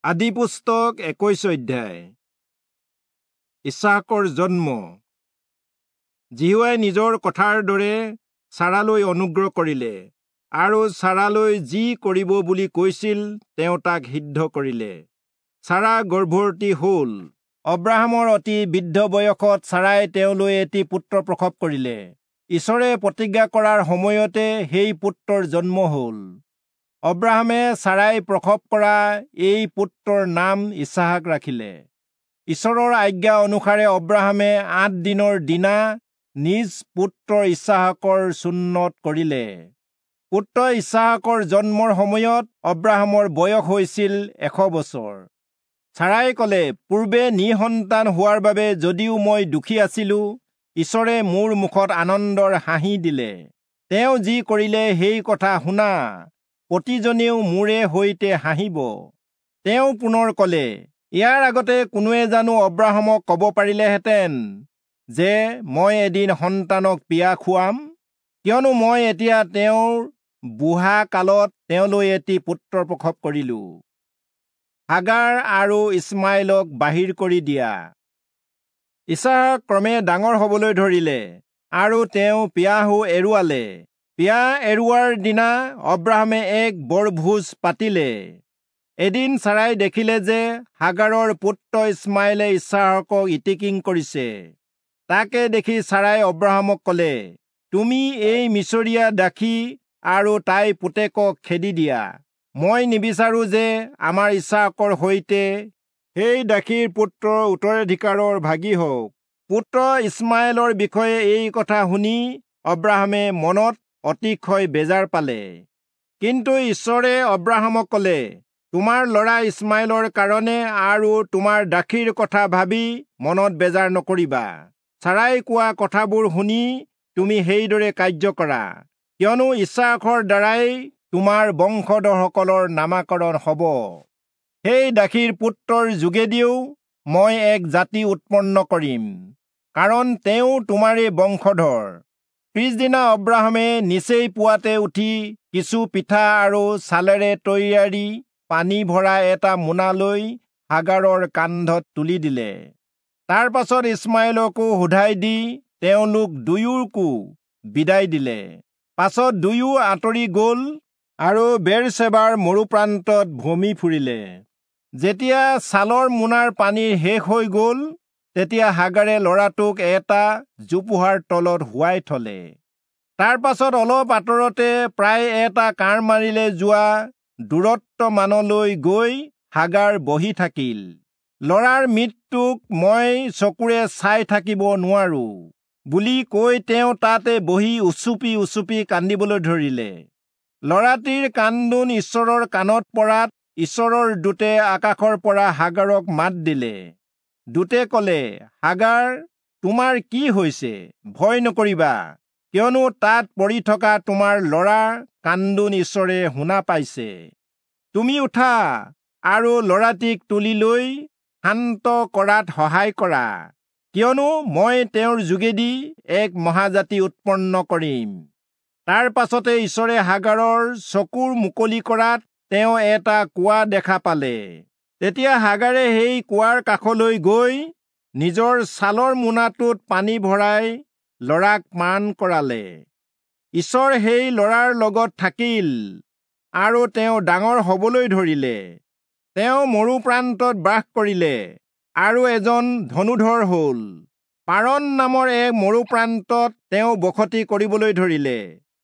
আদি পুস্তক 21 অধ্যায়। ইছাকৰ জন্ম। যিহোৱাই নিজৰ কথাৰ দৰে চাৰালৈ অনুগ্ৰহ কৰিলে আৰু চাৰালৈ যি কৰিব বুলি কৈছিল তেওঁ তাক সিদ্ধ কৰিলে। চাৰা গৰ্ভৱতী হ'ল। অব্ৰাহামৰ অতি বৃদ্ধ বয়সত চাৰাই তেওঁলৈ এটি পুত্ৰ প্ৰসৱ কৰিলে। ঈশ্বৰে প্ৰতিজ্ঞা কৰাৰ সময়তে সেই পুত্ৰৰ জন্ম হ'ল। অব্ৰাহামে চাৰাই প্ৰসৱ কৰা এই পুত্ৰৰ নাম ইছহাক ৰাখিলে। ঈশ্বৰৰ আজ্ঞা অনুসাৰে অব্ৰাহামে 8 দিনৰ দিনা নিজ পুত্ৰ ইছহাকৰ চুন্নৎ কৰিলে। পুত্ৰ ইছহাকৰ জন্মৰ সময়ত অব্ৰাহামৰ বয়স হৈছিল 100 বছৰ। চাৰাই ক'লে, পূৰ্বে নিসন্তান হোৱাৰ বাবে যদিও মই দুখী আছিলো, ঈশ্বৰে মোৰ মুখত আনন্দৰ হাঁহি দিলে। তেওঁ যি কৰিলে সেই কথা শুনা, প্ৰতিজনেও মোৰে সৈতে হাঁহিব। তেওঁ পুনৰ ক'লে, ইয়াৰ আগতে কোনোৱে জানো অব্ৰাহামক ক'ব পাৰিলেহেঁতেন যে মই এদিন সন্তানক পিয়া খুৱাম? কিয়নো মই এতিয়া তেওঁৰ বুঢ়া কালত তেওঁলৈ এটি পুত্ৰ প্ৰসৱ কৰিলো। হাগাৰ আৰু ইছমাইলক বাহিৰ কৰি দিয়া। ইছহাক ক্ৰমে ডাঙৰ হবলৈ ধৰিলে আৰু তেওঁ পিয়াহো এৰুৱালে। পিয়া এৰুৱাৰ দিনা অব্ৰাহামে এক বৰভোজ পাতিলে। এদিন চাৰাই দেখিলে যে হাগাৰৰ পুত্ৰ ইছমাইলে ইছহাকক ইতিকিং কৰিছে। তাকে দেখি চাৰাই অব্ৰাহামক ক'লে, তুমি এই মিছৰীয়া দাসী আৰু তাইৰ পুতেকক খেদি দিয়া। মই নিবিচাৰো যে আমাৰ ইছহাকৰ সৈতে সেই দাসীৰ পুত্ৰ উত্তৰাধিকাৰৰ ভাগী হওক। পুত্ৰ ইছমাইলৰ বিষয়ে এই কথা শুনি অব্ৰাহামে মনত অতিশয় বেজাৰ পালে। কিন্তু ঈশ্বৰে অব্ৰাহামক ক'লে, তোমাৰ ল'ৰা ইছমাইলৰ কাৰণে আৰু তোমাৰ দাসীৰ কথা ভাবি মনত বেজাৰ নকৰিবা। চাৰাই কোৱা কথাবোৰ শুনি তুমি সেইদৰে কাৰ্য কৰা, কিয়নো ইছহাকৰ দ্বাৰাই তোমাৰ বংশধৰসকলৰ নামাকৰণ হ'ব। সেই দাসীৰ পুত্ৰৰ যোগেদিও মই এক জাতি উৎপন্ন কৰিম, কাৰণ তেওঁ তোমাৰে বংশধৰ। পিছদিনা অব্ৰাহামে নিচেই পুৱাতে উঠি কিছু পিঠা আৰু ছালেৰে তৈয়াৰী পানী ভৰা এটা মোনা লৈ হাগাৰৰ কান্ধত তুলি দিলে। তাৰ পাছত ইছমাইলকো সোধাই দি তেওঁলোক দুয়োকো বিদায় দিলে। পাছত দুয়ো আঁতৰি গ'ল আৰু বেৰচেবাৰ মৰুপ্ৰান্তত ভ্ৰমি ফুৰিলে। যেতিয়া ছালৰ মোনাৰ পানী শেষ হৈ গ'ল, তেতিয়া হাগাৰে ল'ৰাটোক এটা জোপোহাৰ তলত শুৱাই থলে। তাৰ পাছত অলপ আঁতৰতে প্ৰায় এটা কাঁড় মাৰিলে যোৱা দূৰত্ব মানলৈ গৈ হাগাৰ বহি থাকিল। ল'ৰাৰ মৃত্যুক মই চকুৰে চাই থাকিব নোৱাৰো বুলি কৈ তেওঁ তাতে বহি উচুপি উচুপি কান্দিবলৈ ধৰিলে। ল'ৰাটিৰ কান্দোন ঈশ্বৰৰ কাণত পৰাত ঈশ্বৰৰ দূতে আকাশৰ পৰা হাগাৰক মাত দিলে। দূতে ক'লে, হাগাৰ, তোমাৰ কি হৈছে? ভয় নকৰিবা, কিয়নো তাত পৰি থকা তোমাৰ ল'ৰাৰ কান্দোন ঈশ্বৰে শুনা পাইছে। তুমি উঠা আৰু ল'ৰাটিক তুলি লৈ শান্ত কৰাত সহায় কৰা, কিয়নো মই তেওঁৰ যোগেদি এক মহাজাতি উৎপন্ন কৰিম। তাৰ পাছতে ঈশ্বৰে হাগাৰৰ চকুৰ মুকলি কৰাত তেওঁ এটা কুঁৱা দেখা পালে। তেতিয়া হাগাৰে সেই কুঁৱাৰ কাষলৈ গৈ নিজৰ ছালৰ মোনাটোত পানী ভৰাই ল'ৰাক পান কৰালে। ঈশ্বৰ সেই ল'ৰাৰ লগত থাকিল আৰু তেওঁ ডাঙৰ হবলৈ ধৰিলে। তেওঁ মৰুপ্ৰান্তত বাস কৰিলে আৰু এজন ধনুধৰ হ'ল। পাৰণ নামৰ এক মৰুপ্ৰান্তত তেওঁ বসতি কৰিবলৈ ধৰিলে।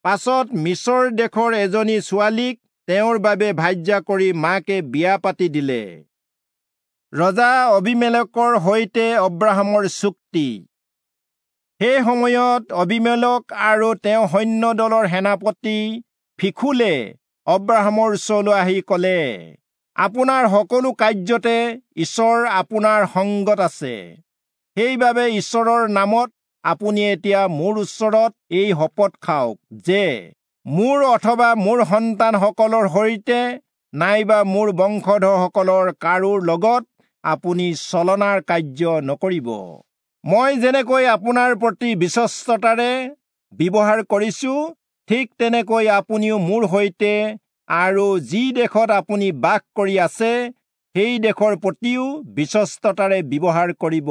পাছত মিছৰ দেশৰ এজনী ছোৱালীক তেওঁৰ বাবে ভাৰ্যা কৰি মাকে বিয়া পাতি দিলে। ৰজা অবিমেলকৰ সৈতে অব্ৰাহামৰ চুক্তি। সেই সময়ত অবিমেলক আৰু তেওঁ সৈন্য দলৰ সেনাপতি ফিখুলে অব্ৰাহামৰ ওচৰলৈ আহি ক'লে, আপোনাৰ সকলো কাৰ্যতে ঈশ্বৰ আপোনাৰ সংগত আছে। সেইবাবে ঈশ্বৰৰ নামত আপুনি এতিয়া মোৰ ওচৰত এই শপত খাওক যে মোৰ অথবা মোৰ সন্তানসকলৰ সৈতে নাইবা মোৰ বংশধৰসকলৰ কাৰো লগত আপুনি ছলনাৰ কাৰ্য নকৰিব। মই যেনেকৈ আপোনাৰ প্ৰতি বিশ্বস্ততাৰে ব্যৱহাৰ কৰিছো, ঠিক তেনেকৈ আপুনিও মোৰ সৈতে আৰু যি দেশত আপুনি বাস কৰি আছে সেই দেশৰ প্ৰতিও বিশ্বস্ততাৰে ব্যৱহাৰ কৰিব।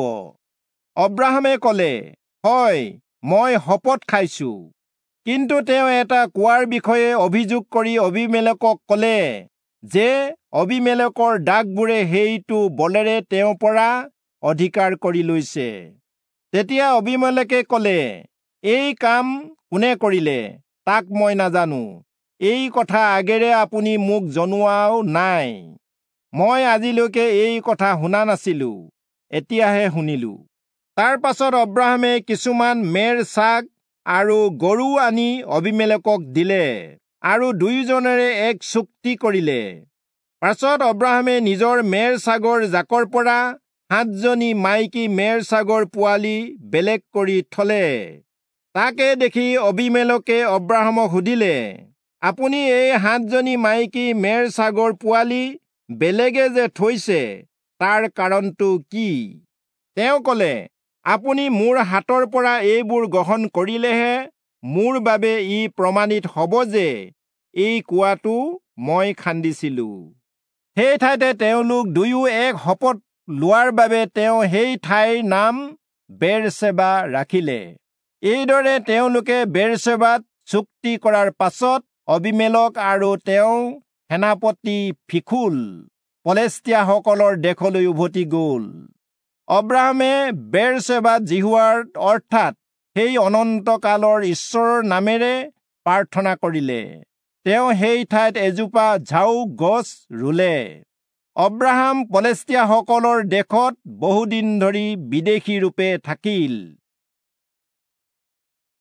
অব্ৰাহামে কলে, হয়, মই শপত খাইছো। কিন্তু তেওঁ এটা কুঁৱাৰ বিষয়ে অভিযোগ কৰি অবীমেলকক কলে যে অবীমেলকৰ দাসবোৰে সেইটো বলেৰে তেওঁৰ পৰা অধিকাৰ কৰি লৈছে। তেতিয়া অবীমেলকে কলে, এই কাম কোনে কৰিলে তাক মই নাজানো, এই কথা আগেৰে আপুনি মোক জনোৱাও নাই, মই আজিলৈকে এই কথা শুনা নাছিলো, এতিয়াহে শুনিলো। তাৰ পাছত অব্ৰাহামে কিছুমান মেৰ ছাগ আৰু গৰু আনি অবীমেলকক দিলে আৰু দুয়োজনেৰে এক চুক্তি কৰিলে। পাছত অব্ৰাহামে নিজৰ মেৰ ছাগৰ জাকৰ পৰা 7জনী মাইকী মেৰ ছাগৰ পোৱালি বেলেগ কৰি থলে। তাকে দেখি অবীমেলকে অব্ৰাহামক সুধিলে, আপুনি এই 7জনী মাইকী মেৰ ছাগৰ পোৱালি বেলেগে যে থৈছে তাৰ কাৰণটো কি? তেওঁ কলে, আপুনি মোৰ হাতৰ পৰা এইবোৰ গ্ৰহণ কৰিলেহে মোৰ বাবে ই প্ৰমাণিত হ'ব যে এই কুঁৱাটো মই খান্দিছিলো। সেই ঠাইতে তেওঁলোক দুয়ো এক শপত লোৱাৰ বাবে তেওঁ সেই ঠাইৰ নাম বেৰচেবা ৰাখিলে। এইদৰে তেওঁলোকে বেৰচেবাত চুক্তি কৰাৰ পাছত অবীমেলক আৰু তেওঁ সেনাপতি ফীখোল পলেষ্টীয়াসকলৰ দেশলৈ উভতি গ'ল। অব্ৰাহামে বেৰচেবাত যিহোৱাৰ অৰ্থাৎ সেই অনন্তকালৰ ঈশ্বৰৰ নামেৰে প্ৰাৰ্থনা কৰিলে। তেওঁ সেই ঠাইত এজোপা ঝাও গছ ৰুলে। অব্ৰাহাম পলেষ্টীয়াসকলৰ দেশত বহুদিন ধৰি বিদেশী ৰূপে থাকিল।